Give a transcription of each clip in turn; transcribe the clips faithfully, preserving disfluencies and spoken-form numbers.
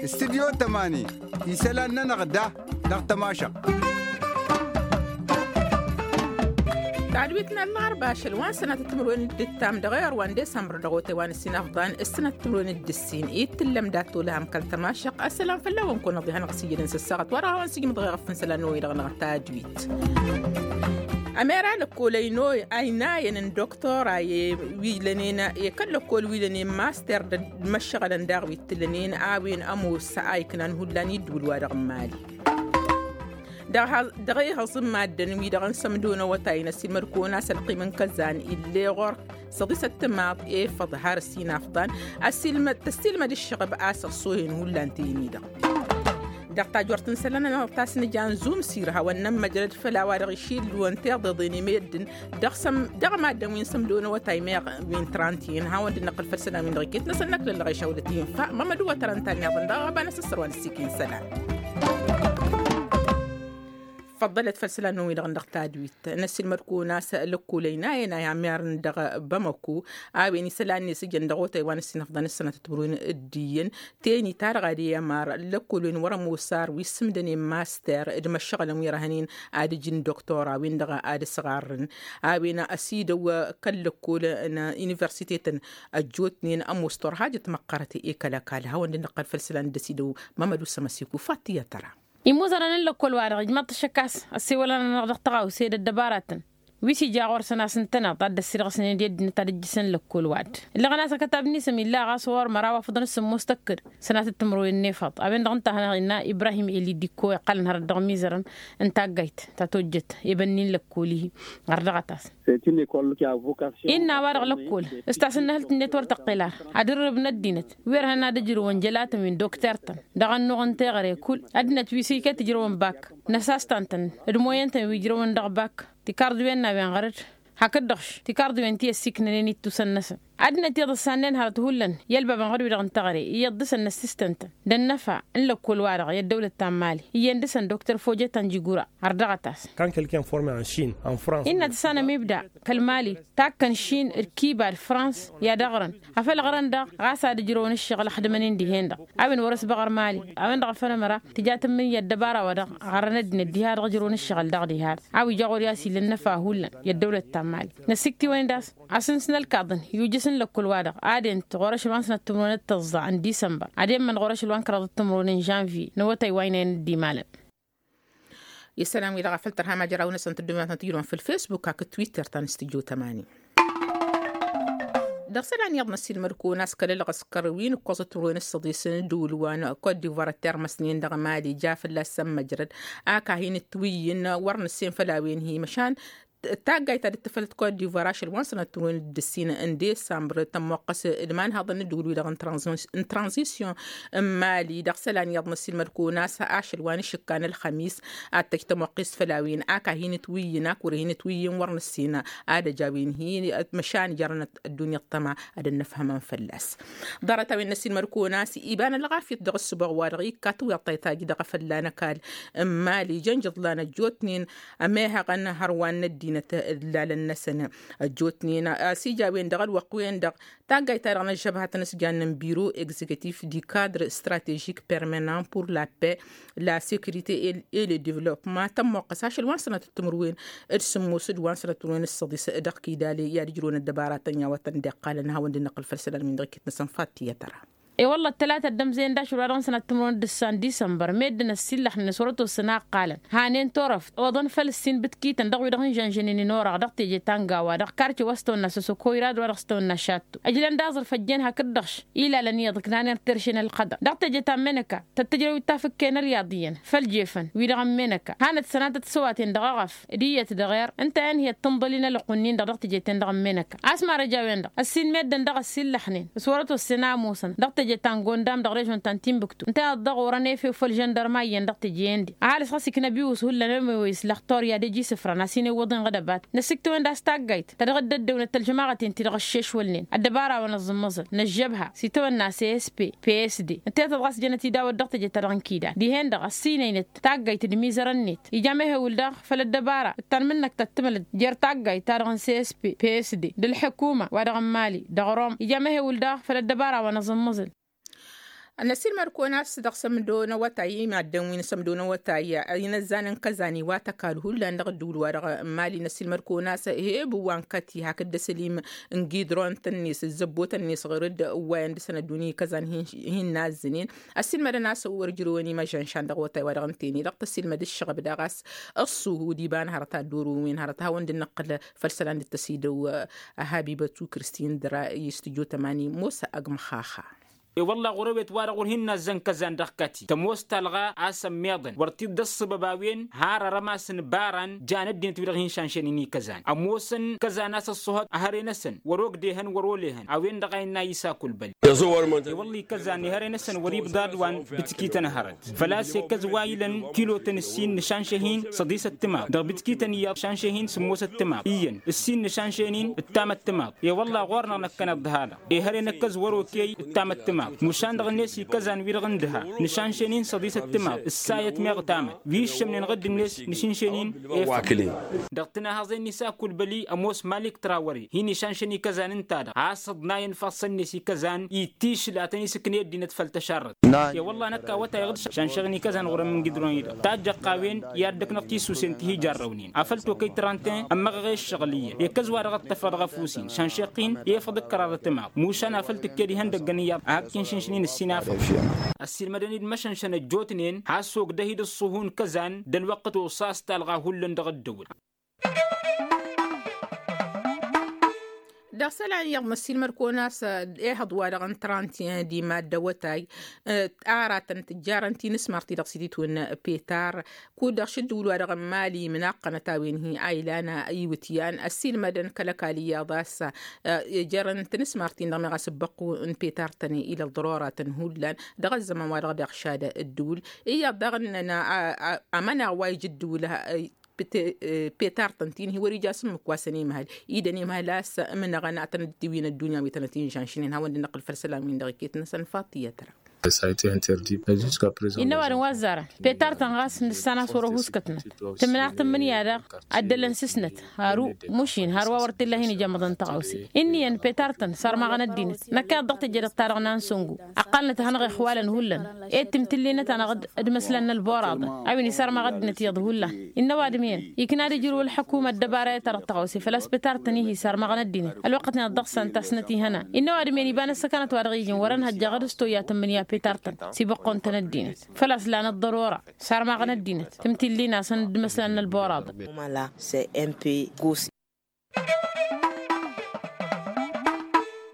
Studyo tămani isălan-nănăɣ da dăɣ-tămašăɣt. Tadwit n-ălɣarba ašăl wa n-sănatăt timǝrwen d-ǝttam dăɣ-ewăr wa n-disămbăr dăɣ-otay wa n-ǝssin afḍan s-sănatăt timǝrwen d-ǝssin i t-tǝllăm dat-olăhăm kăl-tămašăɣt. Ăssălam făll-a-wen kăwăn-ăḍihănăɣ s-ijănen s-ăssaɣăt wa dăɣ-a-wen s-ijmǝḍ ɣef n-isălan n-oyădăɣ-năɣ tadwit. Ămera lăkkolăy n-oy a inayăn n-doktora i-wi lănen i-kăl-lăkkol wi lănen master d-măššăɣălăn daɣ wi t-lănen a-wen ămoos a iknan hullan i-ǝddǝwǝl-wa-dăɣ n-imali. Dăɣ-ihăẓ n-maddǝn-wi-dăɣ n-sămdo n-awătay n-ăssiilmăd-kăwăn a-s ălqim n-kăzzan ill'-e ɣur-săḍisăt timaḍ efăḍ har ăssinafḍan. Ăssiilmăd tăssiilmăd ǝššăɣăb a-s ăṣṣohen hullan teyǝn-i-dăɣ. Dăɣ-tajort n-isălan-nănăɣ ta s-nǝja n-zumsir hawăn-nămmăjrăd făll-a-wa-dăɣ išillǝwăn tiḍeḍen i-meddǝn dăɣ-săm dăɣ-maddǝn wi n-sămdo n-awătay meɣ wi n-trantiyen hawăn-dd-năqqǝl făll-isălan-win-dăɣ iket-năsăn năkk lăllăɣ išawlăt-i infa. Mămăd uwătărăn ta n-iḍăn dăɣ-ɣăba n-asǝssăr wa n-ǝssikin isălan. Făḍḍălăt făll-isălan-năwăn-wi-dăɣ dăɣ-tadwit n-ăssiilmăd-kăwăn a-s lăkkolăy n-a ena i-amyarăn dăɣ-bamăko a-wen isălan-net ǝjăn dăɣ-otay wa n-ǝssin afḍăn ǝssănatăt timǝrwen d-iyyăn. Teni-ta-dăɣ ad-e-ămar lăkkolwen wăr-ămoos ar wi s-ǝmdănen master d-imăššăɣǝlăn wi răhănen ad-ǝjǝn doktora-win-dăɣ ad-ǝsɣarrǝn. A-wen ăsidăw kăl-lăkkol n-universitetăn ăjjootnen ămoos turhajăt măqqărăt i-kăl-ăkall hawăn-dd-năqqăl făll-isălan dd-ăsidăw. Mămăd usăm ăsiku fatiya tăra. Imuzărăn n-lăkkol-wa-dăɣ ijmăḍ-t ašăk a-s ăssewălăn-anăɣ dăɣ-tăɣawse d-ăddăbaratăn wi s-ija ɣur-săn a-s ǝntăneḍ ad-dd-ăssirɣǝsnen i-ăddinăt ad-ǝjjǝsăn lăkkol-wa-dd. Ǝllăɣăn a-s ăkătab-ni s-ămilla ɣas ɣur-măraw afǝḍăn s-sǝmmos tăkkăd sănatăt timǝrwen n-efăḍ a-wen-dăɣ ǝnta a hanăɣ-innă ibrahim eli dikko iqqălăn hărăt dăɣ-imizărăn n-taggayt ta tojjăt i-bănni n-lăkkol-i. Ɣăr dăɣ-ătas innă a-wa-dăɣ lăkkol s-tasǝnnăhǝlt-net wăr tăqqel ar ad-ǝrrǝb n-ăddinăt wi ărhăn ad-ǝjrǝwăn jălatăn wi n-dokter-tăn dăɣ-ănnuɣ n-teɣăre kull ăddinăt wi s-iket ǝjrăwăn bak n-ăsastantăn d-moyăn-tăn wi ǝjrăwăn dăɣ-bak tikarḍiwen n-a-wen ɣăr-dd. Hakd-dăɣ tikarḍiwen ti ăssiiknănen ittusăn-năsăn ăddinăt iyyăḍ ǝssannen hărăt hullan i-ălbabăn ɣăr-wi-dăɣ n-teɣăre iyyăḍ dăɣ-săn n-ăssistăn-tăn d-ănnăfa n-lăkkol-wa-dăɣ i-ăddăwlăt ta n-mali iyyăn dăɣ-săn dokter fojet anjigura. Ărdăɣăt-as. Kan kăl-kănforme n-šin n-frans innă tăssanăm ibda kăl-mali takkăn šin d-kiba d-frans i-ad-ăɣrăn afăl ăɣrăn daɣ ɣas ad-ǝjrăwăn ǝššăɣǝl ăxdǝmăn-in dihen-dăɣ. A-wen wăr-ăsbăɣăr mali a-wen-dăɣ a făl ămăra tǝja tǝmmǝnǝya ăddăbara-wa-dăɣ ɣărrăn ăddinăt diha-dăɣ ǝjrăwăn ǝššăɣǝl daɣ diha-dăɣ. A-wa ija ɣur-i a-s ila ănnăfa hullan i-ăddăwlăt ta n-mali năsiktiwăn-dd a-s asǝns n-ălkaḍăn i-ujǝs n-lăkkul-wa-dăɣ ad-ent ɣur-ašăl wa n-sănăt timǝrwen d-tăẓẓa n-disămbăr ad-emmăn ɣur-ašăl wa n-kăraḍăt timǝrwen n-žănvye n-awătay wa ăynayăn dd-imalăn. Isălan-wi-dăɣ a făl tărha majăraw-năsăn tǝddǝmnatăn tǝjrăwăn făll-fesbuk hakd twitter ta n-studyo tămani. Dăɣ-isălan iyyăḍ n-ăssiilmăd-kăwăn a-s kăl-ălɣăskăr wi n-ǝkkoẓăt timǝrwen s-săḍis n-ǝddǝwǝl wa n-kot divoir ăttermăsnen dăɣ-mali ja fălla-s ămmăjrăd. Ak a hin-ǝtwǝyyǝn wăr nǝssen făll-a-wen hi-măšan taggayt ta dd-tǝfăl d-kot divoir ašăl wa n-sănăt timǝrwen d-ǝssin n-disămbăr tămmoqqăs d-imanhăḍăn n-ǝddǝwǝl-wi-dăɣ n-tranzisyon n-mali. Dăɣ-isălan iyyăḍ n-ăssiilmăd-kăwăn a-s ašăl wa n-išǝkka n-ălxămis ad-tăj tămoqqest făll-a-wen ak a hin-ǝtwǝyyǝn ak wăr hin-ǝtwǝyyǝn wăr nǝssin ad-ăj a-wen hi-măšan jărăn ăddunya ăṭṭăma ad-ănnăfhămăn fălla-s. Ḍarăt-a-wen n-ăssiilmăd-kăwăn a-s iba n-ălɣafyăt dăɣ-ǝssǝboɣ-wa-dăɣ ikka tiwyaḍt ta ităjj dăɣ-efălla n-ăkall n-mali jăn jăḍlan ăjjootnen ămehăɣăn hărwa n-ăddinăt d-lalăn-năsăn. Ăjjootnen a-s ija a-wen-dăɣ ălwăqq-wen-dăɣ taggayt-ta-dăɣ n-ăžžăbhat n-asjan n-biro exekutif du cadre stratežik permanent pour la paix, la securite et le development tămmoqqăs ašăl wa n-sănatăt timǝrwen d-sǝmmos d-wa n-sănatăt timǝrwen d-săḍis dăɣ-kidali i-ad-ǝjrăwăn ăddăbaratăn i-awătăn dd-iqqalăn ad-hawăn-dd-năqqǝl făll-isălan-win-dăɣ iket-năsăn fattiyăt ăra. I-wălla ăttălatăt d-ămzăyăn d-ašăl wa dăɣ-sănat timǝrwen d-ǝssan disămbăr meddǝn ăssiillăxnen s-wăr-ătwăssăn a ǝqqalăn hanen turăft oḍăn făll-ǝssin bǝtkităn dăɣ-wi-dăɣ n-žănžănen n-oraɣ dăɣ-teje ta n-gawa dăɣ-karce wa s-tăwănna sosoko irad wa dăɣ-s tăwănna šattu ǝjlăn d-aẓrǝf ăjjeen hakd-dăɣ-š ilalăn iyyăḍ ǝknanen tirše n-ălxăḍăr dăɣ-teje ta n-menăka tăt-tǝjrăw d-tafǝkke n-ăriyaḍ iyyăn făll-jefăn wi-dăɣ n-menăka hanăt-sănatăt s-ăwaten dăɣ-eɣăf d-iyyăt dăɣ-err ǝnta a ănhǝyăt tǝnḍăl-i n-ălqunnin-dăɣ dăɣ-teje-ten-dăɣ n-menăka a-s marăj a-wen-dăɣ ăssin meddǝn dăɣ-ăssillăxnen s-wăr-ătwăssen a ămoosăn dăɣ-teje Jăt ta n-gondam dăɣ-režon ta n-tinbǝktu ǝnta i-ad-dăɣ orăn efew făll-žăndărma iyyăn dăɣ-teje-en-di ăhalǝs ɣas ikna abiwǝs hullan ălmăy wa islăxtor i-ad-ăj isǝfra n-asin iwwăḍen ɣǝdăbat. Năsiktăwăn d-a-s taggayt ta dăɣ-dd-ăddăwnăt ălžămaɣăt-en-ti-dăɣ ăššešwălnen ăddăbara wa n-aẓǝmmăẓǝl n-ăžžăbha s-itawănna s s p p s d ǝnta i-tăḍɣas jănăt idaw-ăddăɣ teje-ta-dăɣ n-kida dihen-dăɣ ăssinăynăt taggayt d-imizărăn-net ija mehewǝl daɣ făll-ăddăbara d-tanmǝnnăkt ta t-tǝmǝlăt jer-taggayt-ta-dăɣ n-s s p p s d d-ălḥǝkuma wa dăɣ-n mali dăɣ-rom ija mehewǝl daɣ făll-ăddăbara wa n-aẓǝmmăẓǝl. Năsilmăd-kăwăn a-s dăɣ-sămdo n-awătay i-maddǝn wi n-sămdo n-awătay inăzzan n-kăzan iwatăkal hullan dăɣ-ăddǝwǝl-wa-dăɣ n-mali năsilmăd-kăwăn a-s eheb wa n-kăti hakd d-asălim n-gidron-tăn-net ǝzzăbbotăn-net ɣur-dd ǝwwayăn dăɣ-săn ăddunya i-kăzan hin-nazzǝnen. Ăsilmădăn a-s wăr ǝjrǝwăn imăžănšan dăɣ-awătay-wa-dăɣ ǝnta-en-i-dăɣ tăsilmăd ǝššăɣăb daɣ a-s ăṣṣuhu d-iba n-hărăt ad-dd-orǝwăn wi n-hărăt ad-hawăn-dd-năqqǝl făll-isălan d-tăsidăw. Habibătu kǝrstin dăr-i s-tǝjo tămani mosa ăgg măxxaxa. E-wălla ɣur-ewet-wa-dăɣ wăr hin-nazzăn kăzan dăɣ-kati tămoos talɣa a-s ămmiḍăn wăr t-dd-ăṣṣăbăb a-wen har arămas n-ibaran jan ăddinăt-wi-dăɣ hin-šanšăynen i-kăzan ămoosăn kăzan a-s ăṣṣuhăt ehăre-năsăn wăr-ogdehăn wăr-olehăn a-wen-dăɣ a innă isa kulbăl. E-wălla ikăzan ehăre-năsăn wăr-ibḍad wa n-bǝtkităn hărăt făl-a-s ekăz wa ilăn kilotăn ǝssin nǝšanšăh-in săḍisăt timaḍ dăɣ-bǝtkităn iyyăḍ šanšăh-in sǝmmosăt timaḍ iyyăn ǝssin nǝšanšăh-in ǝttamăt timaḍ. E-wălla ɣur-năɣ năkkăneḍ d-hada ehăre năkkăz wăr-okey ǝttamăt timaḍ mušan dăɣ-net ikăzan-wi-dăɣ n-dăha nǝšanšăh-in săḍisăt timaḍ ǝssayăt meɣ tamăt wi ǝššămnen ɣǝdd-net nǝšǝnšăh-in efăḍ. Dăɣ-tǝnahăẓen n-isa kulbăli ămoos malik trawăre hin-išanšăn ikăzan ǝnta-dăɣ a-s ǝḍnayăn ifassăn-net ikăzan ittišǝl ad-tăn-isǝknăy ăddinăt făll-tăšarrăt. I-wălla năkk awătay iɣǝd šanšăɣ-in ikăzan ɣur-ămm n-gidron-i-dăɣ tajjăɣ-t a-wen i-ad-dăknăɣ tisusen ti hi-jarrăwnen afăl tokăy trantin ămmăɣăɣ i-ǝššăɣǝl iyyăn ekăz wa dăɣ-ăṭṭăfăɣ dăɣ-afus-in šanšeɣ-t-in efăḍ d-kăraḍăt timaḍ mušan afăl tǝkked ihăndăggăn iyyăḍ a hak-kinšǝnšǝn-in ǝssin afăḍ. Ăssiilmădăn-dd măšănšăn ăjjootnen has-ogdăh-dd ǝṣṣuhu n-kăzan d-ălwăqqăt oṣaṣ talɣa hullan dăɣ-ăddăwăl. Dăɣ-isălan iyyăḍ năssiilmăd-kăwăn a-s ehăḍ wa-dăɣ n-trantin d-imadd awătay aratăn tǝjjarăn tinǝsmar ti-dăɣ s-ititwǝn petar kud-dăɣ šǝddǝwǝl wa-dăɣ n-mali imnaqqănăt a-wen hi-a ilan iwǝtyan ăssiilmădăn kăl-ăkall iyyăḍ a-s jerăn tinǝsmar-tin-dăɣ meɣ a-s ǝbbăqqu n-petar-tăn ila ăḍḍăroratăn hullan dăɣ-ăzzăman wa-dăɣ daɣ šad ǝddǝwǝl iyyăḍ daɣ ǝnnăn amănaɣ wa ija ǝddǝwǝl petar-tăn ti-dăɣ hi-wăr-ija s-ǝmmǝk wa săn imhăl idăn imhăl a-s ǝmnăɣăn ad-tăn-dd-tiwin ăddunya wi tănăt-inšanšnen hawăn-dd-năqqǝl făll-isălan-win-dăɣ iket-năsăn faṭiyăt-ra. Innă ăwadǝm wa ăzzarăn petar-tăn ɣas nǝssan a-s wăr-ăhuskătnăt tǝmnaɣ tǝmmǝnǝya daɣ ăddălăn s-ǝsnăt hărǝw mušin har wa wăr t-illa hin-ijămmăḍăn tăɣawse ǝnniyăn petar-tăn sarmaɣăn ăddinăt năkk iyyăḍ dăɣ-teje-dăɣ-ta-dăɣ n-ansăngu ăqqalnăt ad-hanăɣ-ixwalăn hullan ed timtǝllinăt-anăɣ d-imăslan n-ălboraḍăn a-wen isarmaɣ ăddinăt iyyăḍ hullan. Innă ăwadǝm-en ikna ad-ijrǝw ălḥăkuma ăddăbara i-ad-tărăt tăɣawse făl-a-s petar-tăn-i hi-sarmaɣăn ăddinăt ălwăqqăt-net dăɣ-săn tasnăt ihănan. Innă ăwadǝm-en iba n-ăssăkanăt wa dăɣ-ijăn wăr-ănhăjja ɣǝd s-toyya tǝmmǝnǝya petar-tăn s-ibăqqon-tăn ăddinăt făl-a-s lanăt ḍărora sarmaɣăn ăddinăt tǝmtǝllin-asăn d-imăslan n-ălboraḍăn.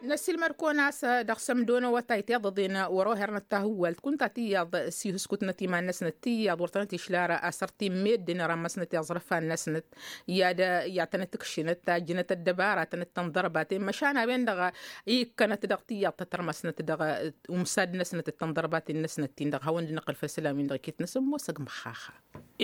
Năssiilmăd-kăwăn a-s dăɣ-sămdo n-awătay tiḍăḍen wăr-ohărnăt tahǝwwalt kunta tiyyăḍ s-ihǝskutnăt iman-năsnăt tiyyăḍ wăr tănăt-išla ara asăr ti n-meddǝn rămmăsnăt i-aẓrǝfan-năsnăt i-ad-i-ad-tănăt-ǝkšǝnăt tajjǝnăt ăddăbara tănăt-tănḍărbaten măšan a-wen-dăɣ ikkănăt dăɣ-tiyyăḍ tăt-rămăsnăt dăɣ-umsad-năsnăt d-tănḍărbaten-năsnăt-tin-dăɣ hawăn-dd-năqqǝl făll-isălan-win-dăɣ iket-năsăn ămoosăg măxxaxa.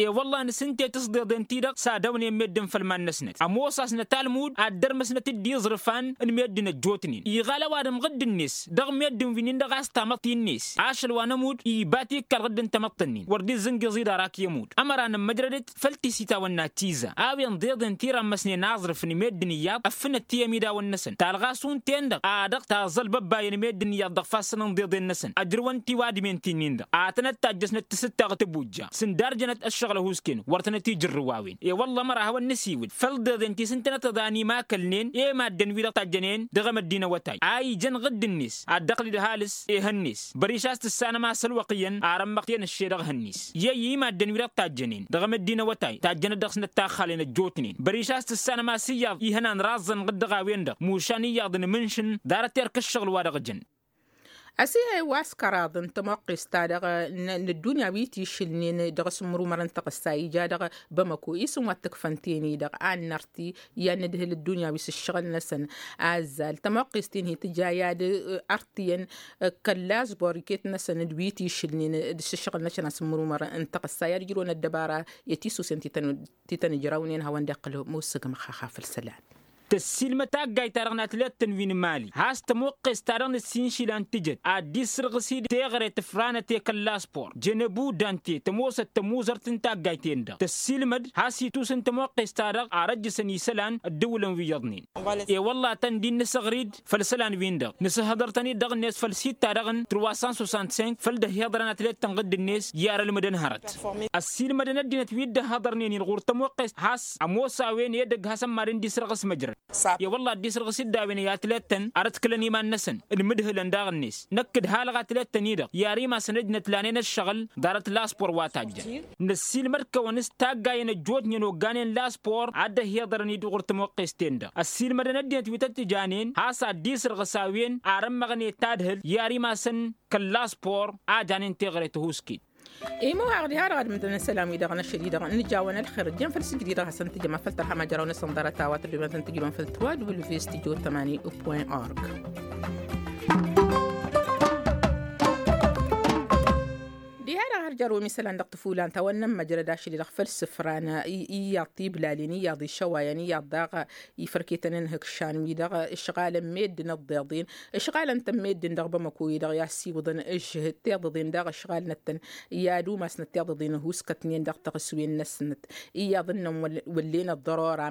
E-wălla-năs ǝnta i-tǝsḍeḍen-ti-dăɣ s-ad-awnen meddǝn făll-iman-năsnăt ămoos a-s năta ălmud ad-dărmăsnăt-dd iẓrǝfan n-meddǝn ăjjootnen iɣal ăwadǝm ɣǝdd-net dăɣ-meddǝn wi-nin-dăɣ a-s tamăḍt-in-net ašăl wa n-ămudd iba tikkal ɣǝdd n-tamăḍt-ǝnnin wăr dd-izzǝngiẓ-i d-arak i-ămudd ămăra n-ămmăjrădăt făll-tisitawăn n-ad-tiza a-wen ḍeḍen ti rămmăsnen aẓrǝf n-meddǝn iyyăḍ ăffǝnăt ti-ămidawăn-năsăn talɣa šund-ten-dăɣ a dăɣ-taẓăl băbbayăn meddǝn iyyăḍ dăɣ-ifassăn n-iḍeḍen-năsăn ăjrăwăn tiwadǝmen ti-nin-dăɣ ad-tănăt-tajjăsnăt tǝsǝtta ɣǝtǝbujja s-ǝndarjănăt ăššăɣǝl ăhuusken wăr tănăt-ijǝrrǝw a-wen. E-wălla ămăra a hawăn-nǝsiwǝd făll-deḍen ti s-ǝntănăt tăḍa n-imakălnen i-maddǝn-wi-dăɣ tajjănen dăɣ-emăddi n-awătay a ijăn ɣǝdd-net ad-dd-ăɣlǝd ăhalǝs ehăn-net băriš a-s tǝssanăm a-s ălwăqq iyyăn ar ămmăɣ tenăšše dăɣ-ehăn-net i-ăyy i-maddǝn-wi-dăɣ tajjănen dăɣ-emăddi n-awătay tajjănăt dăɣ-snăt taxxalen ăjjootnen băriš a-s tǝssanăm a-s iyyăḍ ihănan raẓẓăn ɣǝd dăɣ-a-wen-dăɣ mušan iyyăḍ n-imǝnšǝn ḍarăt erk ǝššăɣǝl wa dăɣ-jăn. Ăsihăy wa s-kăraḍ n-tămoqqest-ta-dăɣ n-ăddunya wi t-išǝlnen dăɣ-asǝmmărumăr n-taɣǝssa ija dăɣ-bamăko isǝm wa t-ǝkfăn ten-i-dăɣ a n-nărti i-ad-nǝdhǝl ăddunya wi s-ǝššăɣǝl-năsăn. Azzal tămoqqest-in hi-tǝja i-ad-ărtǝyăn kăl-lasbor iket-năsăn d-wi t-išǝlnen d-asǝššăɣǝl-năsăn asǝmmărumăr n-taɣǝssa i-ad-ǝjrǝwăn ăddăbara i-tisusen ti tăn-ijrawnen hawăn-dd-iqqǝl musǝgmăx. Xaxaf ǝlsălan. Tăssiilmăd taggayt-ta-dăɣ n-atlet-tăn wi n-imali has-tămoqqest-ta-dăɣ n-ăssiinšǝlan tǝjăt ad-dd-isǝrɣǝs-dd teɣăre tǝfranăt i-kăl-laspor jănăbu dante tămoosăt tămuzărt n-taggayt-en-dăɣ tăssiilmăd has-itusǝn tămoqqest-ta-dăɣ ar ăjjăsăn isălan ăddǝwǝlăn wi iyyăḍnen. E-wălla a tăn-dd-innǝsăɣri-dd făll-isălan-win-dăɣ nǝsǝhhăḍăr-tăn-dd dăɣ-net făll-sitta-dăɣ n-truwa san sosan-t-senk făll-dd-ăhhiḍărăn atlet-tăn ɣǝdd-net i-arălmǝdăn hărăt. Ăssiilmădăn ăddinăt wi dd-ăhhiḍărnen-in ɣur-tămoqqest has-ămoos a-wen edăgg hasăn-mad-dd-isrăɣǝs măjrăd. E-wălla a dd-isrăɣǝs-dd a-wen i-atlet-tăn ar ătkǝlăn iman-năsăn d-imǝdhǝlăn daɣ-net năkk d-halăɣ atlet-tăn-i-dăɣ i-ar imasăn ăjnăt lanen ăššăɣǝl ḍarăt laspor wa tajjăn. Năssiilmăd-kăwăn s-taggayen ăjjootnen ogganen laspor a dd-ăhhiḍărăn-dd ɣur-tămoqqest-en-dăɣ ăssiilmădăn ăddinăt wi tăt-tǝjanen has-ad-dd-isrăɣǝs a-wen ar ămmăɣnen tadhǝlt i-ar imasăn kăl-laspor a janen teɣăre tăhuusken. Imuhaɣ diha-dăɣ ad-mǝdăn isălan-wi-dăɣ n-ašăl-i-dăɣ n-ǝjawăn ălxer ǝjjăn făll-sǝjdǝy-dăɣ hasăn-tǝjăm afăl tărha majăraw-năsăn ḍarăt a-wa tăddoben ad-tăn-tǝjrǝwăn făll-trois w studio tămani point org. Diha-dăɣ har jărwăm isălan dăɣ-tǝfulan ta wănnăn măjrăd ašăl-i-dăɣ făll-sǝfran iyyăḍ tiblalin iyyăḍ išăwayăn iyyăḍ daɣ ifărketăn n-ihǝkšan-wi-dăɣ ǝšɣalăn meddǝn ăḍḍeḍen ǝšɣalăn-tăn meddǝn dăɣ-bamăko-i-dăɣ i-assiwǝḍăn ǝžžǝhǝd tiḍǝḍen daɣ ǝšɣalnăt-tăn i-ad-umasnăt tiḍǝḍen ăhuuskătnen dăɣ-taɣǝswen-năsnăt. Iyyăḍ ǝnnăn wăllen ăḍḍărora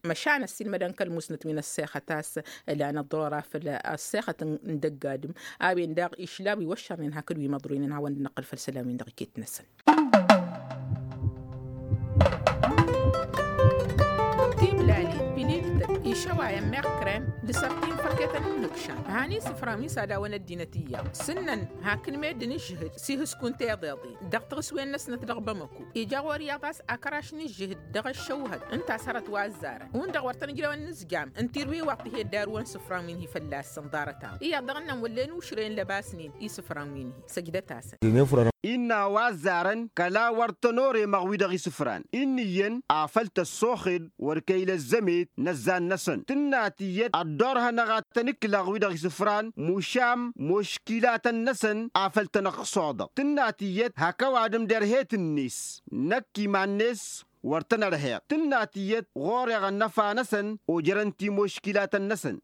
măšan ăssiilmădăn kăl-musnăt wi n-ăssexăt a-s ǝlan ăḍḍărora făll-ăssexăt n-dăgg-adǝm a-wen daɣ išla wi wăššărnen hakd wi măḍroynen hawăn-dd-năqqǝl făll-isălan-win-dăɣ iket-năsăn. Tiblalin pililtăn išăwayăn meɣ krem d-sărtin fărketăn n-imǝkšan han isǝfran wi s-ad-awăn ăddinăt iyyăḍ s-ǝnnăn hakd meddǝn ǝžžǝhǝd s-ihǝskun teḍeḍin dăɣ-taɣǝswen-năsnăt dăɣ-bamăko ija ɣur-iyyăḍ a-s akăraš n-ǝžžǝhǝd dăɣ-ăššăwhăd ǝnta a-s hărăt wa ăzzarăn hundăɣ wăr tăn-ǝjrewăn n-izjam n-tirwiwaḍt ti he-dd-arǝwăn isǝfran wi n-hi-fălla-săn ḍarăt-a-wa iyyăḍ dăɣ-ǝnnăn wăllen ušrăyăn lăbasnen isǝfran wi n-hi săjdăt-asăn. Innă a-wa ăzzarăn kăla wăr tăn-oremăɣ wi-dăɣ isǝfran inn'-iyyăn afăl tăssoxed wăr kăy-ila ăzzămet n-ăzzan-năsăn tǝnna tiyyăt ăddorhănăɣ ad-tăn-ǝklăɣ wi-dăɣ isǝfran mušam muškilatăn-năsăn afăl tăn-ăqqăsoḍăɣ tǝnna tiyyăt hak ăwadǝm derhet-net năkk iman-net wăr tăn-ărheɣ tǝnna tiyyăt ɣur-eɣ ănnăfa-năsăn ojărăn timuškilatăn-năsăn.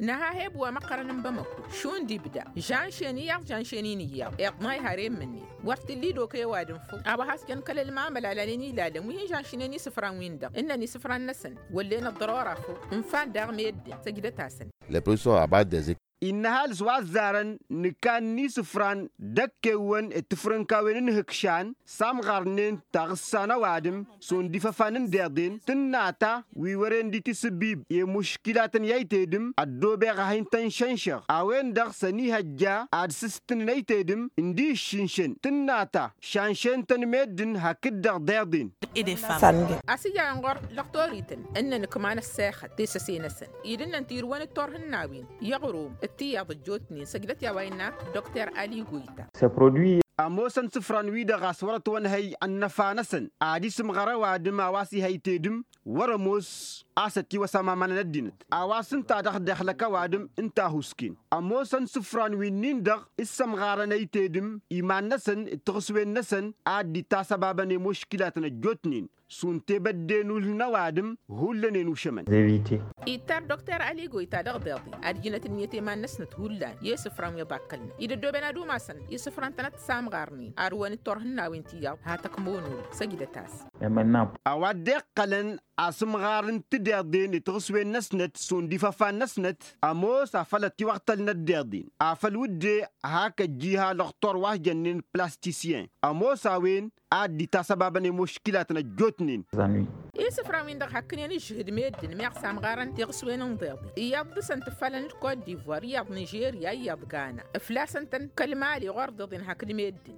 Nǝha heb wa măqqărăn n-bamăko šund ibda žănšen iyyăḍ žănšen-in iyyăḍ iḍnay har emmǝnnin wăr t-illa idok i-ăwadǝm făw a-wa has-jăn kăl-ălmamăl a lanen ilalăn wi hin-žănšnen isǝfran-win-dăɣ ǝnnăn isǝfran-năsăn wăllen ăḍḍărora făw ǝnfan daɣ meddǝn săjdăt-asăn. Lăpălso abat dezek. Innă ăhalǝs wa ăzzarăn nǝkan n-isǝfran d-ăkkewăn d-tifrǝnkawen n-ihǝkšan s-amɣarnen taɣǝssa n-ăwadǝm šund ifăfan n-deḍen tǝnna ta wi wăren dd-tisǝbbib i-muškilatăn i-aytedǝm ăddoobeɣ a hin-tăn-šănšăɣ a-wen-dăɣ s-ănihăjja ad-sǝstǝnǝn aytedǝm ǝndi ǝššǝnšăn tǝnna ta šanšen-tăn meddǝn hakd-dăɣ deḍen. A-s ija inɣur lăqtorităn ǝnnăn ǝkman ăssexăt tesăse-năsăn idǝnnăn tirǝwăn d-turhǝnnawen i-aɣrum d-tiyyăḍ ăjjootnen săjdăt i-a-wa innă dr ali goyta. Ămoosăn isǝfran-wi-dăɣ a-s wăr-ătwănhăy ănnăfa-năsăn ad-isǝmɣăr ăwadǝm a-wa s-ihăy tedǝm wăr-ămoos a-s ătiwăsam aman n-ăddinăt a-wa s-ǝnta dăɣ-dăɣ-lăk ăwadǝm ǝnta a husken ămoosăn isǝfran wi-nin-dăɣ s-sămɣarăn ăytedǝm iman-năsăn d-tiɣǝswen-năsăn ad-dd-itasăbabăn i-muškilatăn ăjjootnen šund tebădde n-ulh n-ăwadǝm hullan enušămăn. Ittar dr ali goyta dăɣ-deḍi ad-ǝjnăt ǝnniyăt i-iman-năsnăt hullan i-isǝfran wi ăḍakkălnăt idăddoben ad-umasăn isǝfran-tănăt s-amɣarnen arǝwăn d-turhǝnnawen tiyyăḍ hatăkmonul săjdăt-as. A-wa dd-iqqălăn asǝmɣar n-tideḍen d-tiɣǝswen-năsnăt šund ifăfan-năsnăt ămoos afăl ătiwăɣtălnăt deḍen afăl wǝdde hak ăjjiha lăqtor wa s-jănnen plastisyen ămoos a-wen ad-dd-itasăbabăn i-muškilatăn ăjjootnen. Isǝfran-win-dăɣ hakkǝnen ǝžžǝhǝd meddǝn meɣ s-amɣarăn tiɣǝswen n-iḍeḍen iyyăḍ dăɣ-săn tǝffalăn d-kot divoir iyyăḍ nižerya iyyăḍ gana ǝflasăn-tăn kăl-mali ɣur-iḍeḍen hakd meddǝn.